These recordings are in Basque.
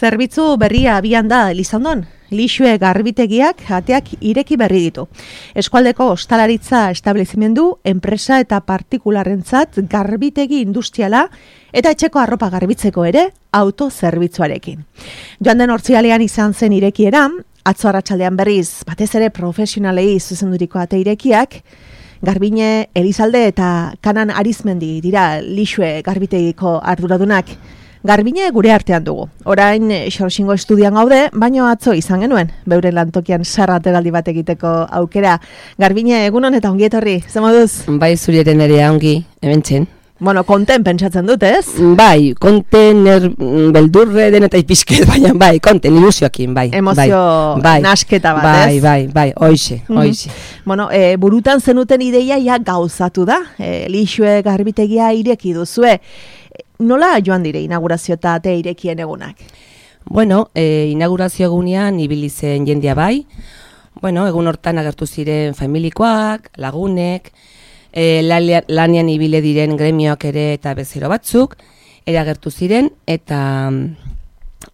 Zerbitzu berria abian da Elizondon. Lixue garbitegiak ateak ireki berri ditu. Eskualdeko ostalaritza establezimendu, enpresa eta partikularrentzat garbitegi industriala eta etxeko arropa garbitzeko ere autozerbitzuarekin. Joan den ortzigalean izan zen irekiera, atzo arratsaldean berriz, batez ere profesionalei zuzenduriko ate irekiak, Garbine, Elizalde eta Kanan Arizmendi dira Lixue garbitegiko arduradunak. Garbine gure artean dugu. Orain Xorxingo estudian gaude, baino atzo izan genuen, beuren lantokian sarra ateraldi bat egiteko aukera. Garbine, egunon eta ongi etorri, ze moduz? Bai, zuriaren ere ongi, hementxen. Bueno, konten pentsatzen dut, ez? Bai, konten beldurre den eta ipizket, baina bai, konten ilusioakin, bai. Emozio nasketa bat, ez? Bai, hoixe. Bueno, burutan zenuten ideia ja gauzatu da, Lixue garbitegia ireki duzue. Nola joan dire inaugurazio eta ate irekien egunak? Bueno, inaugurazio egunean ibili zen jendia bai. Bueno, egun hortan agertu ziren familikoak, lagunek, lanean ibile diren gremioak ere eta bezero batzuk, ere agertu ziren, eta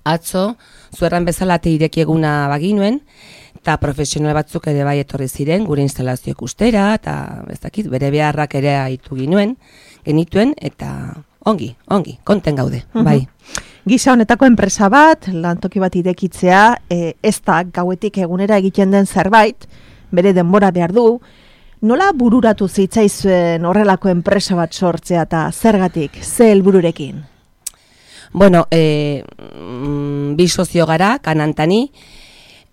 atzo, zuerran bezala ate ireki eguna baginuen, eta profesional batzuk ere bai etorri ziren, gure instalazio ikustera, eta ez dakit, bere beharrak ere aitu genituen, eta ongi, konten gaude, bai. Gisa honetako enpresa bat, lantoki bat irekitzea, ez da gauetik egunera egiten den zerbait, bere denbora behar du. Nola bururatu zitzaizuen horrelako enpresa bat sortzea eta zergatik, ze helbururekin? Bueno, bi sozio gara, Kanantani,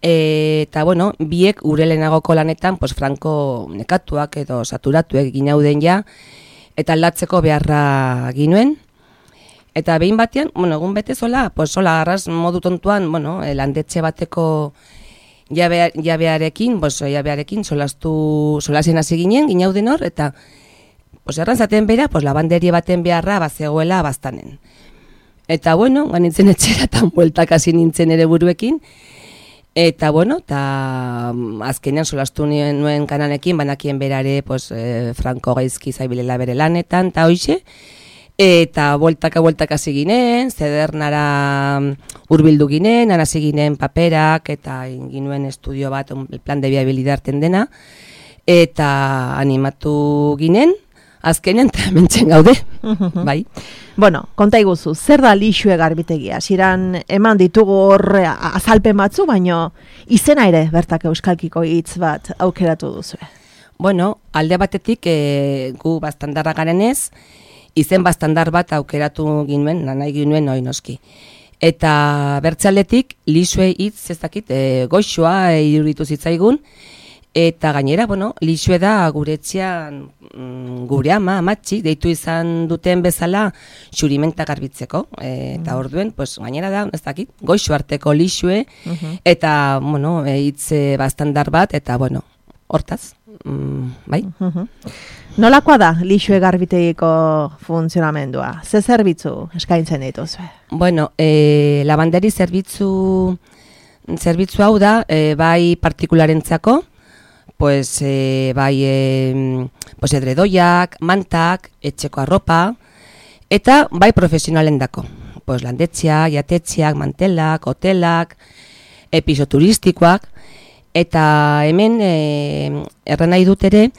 eta bueno, biek urelenagoko lanetan, pues franko nekatuak edo saturatuek ginauden ja, eta aldatzeko beharra ginuen. Eta behin batean, bueno, egun bete zola, pues sola garraz modu tontuan, bueno, landetxe bateko jabearekin solasen hasi ginen, ginauden hor, eta pues errantzaten bera, pues labanderie baten beharra bazegoela bastanen. Eta bueno, ganintzen etxera eta bueltak hasi nintzen ere buruekin, eta bueno, eta azkenean solastu nuen Kananekin, banakien berare, pues, franko gaizki zaibilela bere lanetan, eta hoixe, eta bueltak hasi ginen, zedernara hurbildu ginen, hasi ginen paperak, eta ginuen estudio bat, plan de viabilidarten dena, eta animatu ginen, azkenean eta hementxen gaude, bai. Bueno, konta iguzu, zer da Lixue garbitegia? Ziran eman ditugu horre azalpen batzu, baino izena ere bertak euskalkiko hitz bat aukeratu duzue. Bueno, alde batetik gu bastandarra garenez, izen bastandar bat aukeratu ginuen, nahi ginuen hori noski. Eta bertzaletik, Lixue hitz ez dakit, goxoa iruditu zitzaigun, eta gainera, bueno, Lixue da gure etxean gure amatxik deitu izan duten bezala xurimenta garbitzeko. Eta orduen, pues, gainera da, ez dakit, goixo arteko Lixue, eta, bueno, hitz bastandar bat, eta, bueno, hortaz, bai. Nolakoa da Lixue garbitegiko funtzionamendua? Ze zerbitzu eskaintzen dituzue? Bueno, labanderi zerbitzu hau da, bai partikularentzako, pues bai pues edredoiak, mantak, etxeko arropa, eta bai profesionalendako. Pues landetxeak, jatetxeak, mantelak, hotelak, piso turistikoak, eta hemen erran nahi dut ere,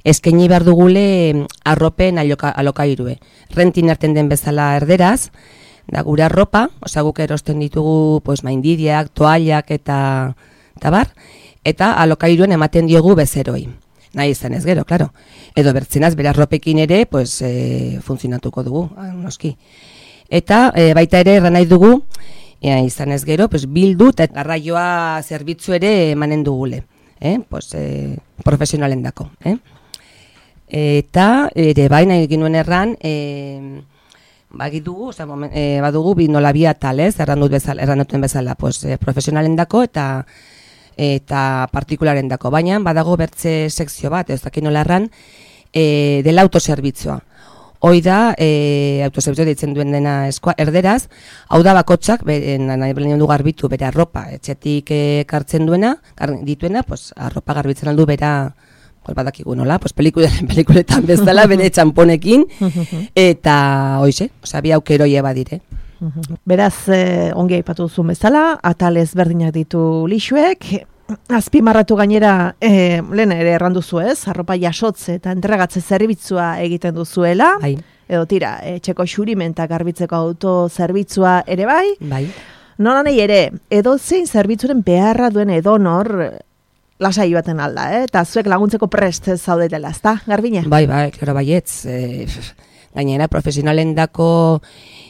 eskaini behar dugule arropen alokairue. Rentin hartzen den bezala erderaz, da gure arropa, guk erosten ditugu pues, maindidiak, toallak eta bar, eta alokairuen ematen diogu bezeroi. Nahi izan ez gero, klaro. Edo bertzenaz, bere arropekin ere, pues, funtzionatuko dugu, noski. Eta baita ere erran nahi dugu, izan ez gero, pues, bildu eta garraioa zerbitzu ere emanen dugule. Pues, profesionalen dako. Eta ere baina egin erran, badugu bi atal, erran duten bezala, pues, profesionalen dako eta partikularen dako. Baina badago bertze sekzio bat, ez dakin nola erran, dela autoserbitzua. Hoi da, autoserbitzua ditzen duen dena erderaz, hau da bakotxak, nahi belen du garbitu bere arropa, etxetik kartzen dituena, pues, arropa garbitzen aldu bera, badakigu nola, pues, pelikuletan bezala, bere txamponekin, eta hoize, bi aukeroie badire. Beraz, ongi aipatu zuen bezala, atal ezberdinak ditu Lixuek, azpimarratu gainera, lehen ere erranduzu ez, arropa jasotze eta entregatze zerbitzua egiten duzuela, edo tira, etxeko xurimenta garbitzeko autozerbitzua ere bai, nolanei ere, edo zein zerbitzuren beharra duen edonor lasai baten alda, eta zuek laguntzeko prest zaudetela, ezta, Garbine? Bai, klaro baietz, gainera profesionalen dako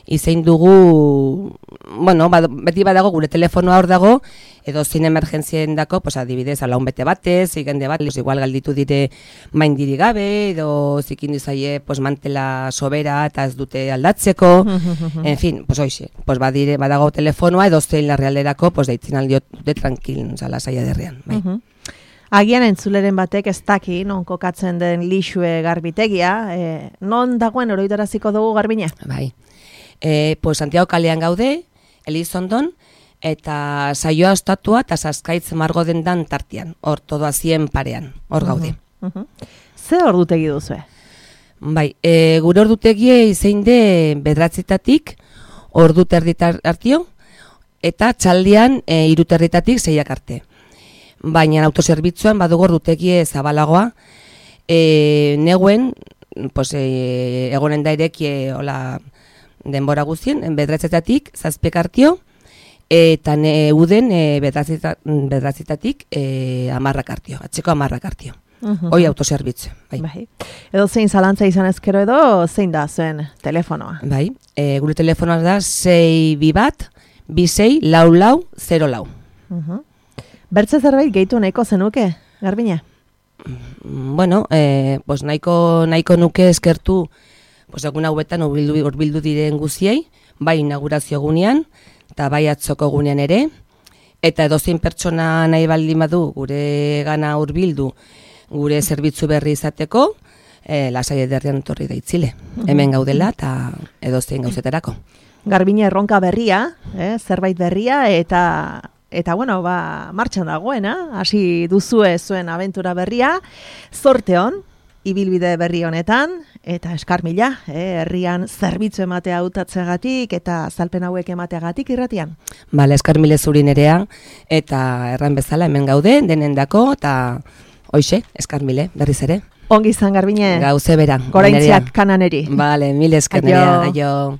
izein dugu, bueno, beti badago gure telefonoa hor dago, edo zein emergentzien dako, pues adibidez, alaun bete batez, igende bat, igual galditu dire maindiri gabe, edo zikin dizaie, pues mantela sobera eta ez dute aldatzeko, en fin, pues hoxe, pues badago telefonoa, edo zein larrealderako, pues deitzen aldiot dute tranquil, zala saia derrean, bai. Agian entzuleren batek ez daki, non kokatzen den Lixue garbitegia, non dagoen oroitaraziko dugu Garbine? Bai. Pues Santiago kalean gaude, Elizondon, eta saioa ostatua eta Saskaitz margo dendan tartian, hor todoa 100 parean, hor gaude. Ze ordutegi duzue? Bai, gure ordutegie izein de bederatzitatik, ordu terditar artio, eta txaldian 3 terditatik 6 arte. Baina autozerbitzuan badugu ordutegie zabalagoa, neguen, pues, egonen da irekie, hola, denbora guztien, bederatzetatik 7 artio, eta uden bederatzetatik 10 artio, atxeko 10 artio. Hoi autozerbitzu. Bai. Edo zein zalantza izan ezkero edo zein da zuen telefonoa? Bai, gure telefonoa da 621-26-4404. Bertze zerbait gehitu nahiko zenuke, Garbine? Bueno, pues nahiko nuke eskertu, pues egun hauetan urbildu diren guziei, bai inaugurazio gunean, eta bai atzoko gunean ere, eta edozein pertsona nahi baldin badu gure gana urbildu, gure zerbitzu berri izateko, lasai ederrian etorri daitzile. Hemen gaudela eta edozein gauzetarako. Garbine erronka berria, zerbait berria, eta bueno, martxan dagoena, hasi duzue zuen abentura berria, zorte hon, ibilbide berri honetan, eta eskar mila, herrian zerbitzu ematea hautatzeagatik eta azalpen hauek emateagatik irratian. Bale, eskar mile zuri nerea, eta erran bezala hemen gaude, denendako, eta hoxe, eskar mile, berriz ere. Ongi izan, Garbine. Gauze bera. Goraintziak kananeri. Bale, mil esker nerea, aio.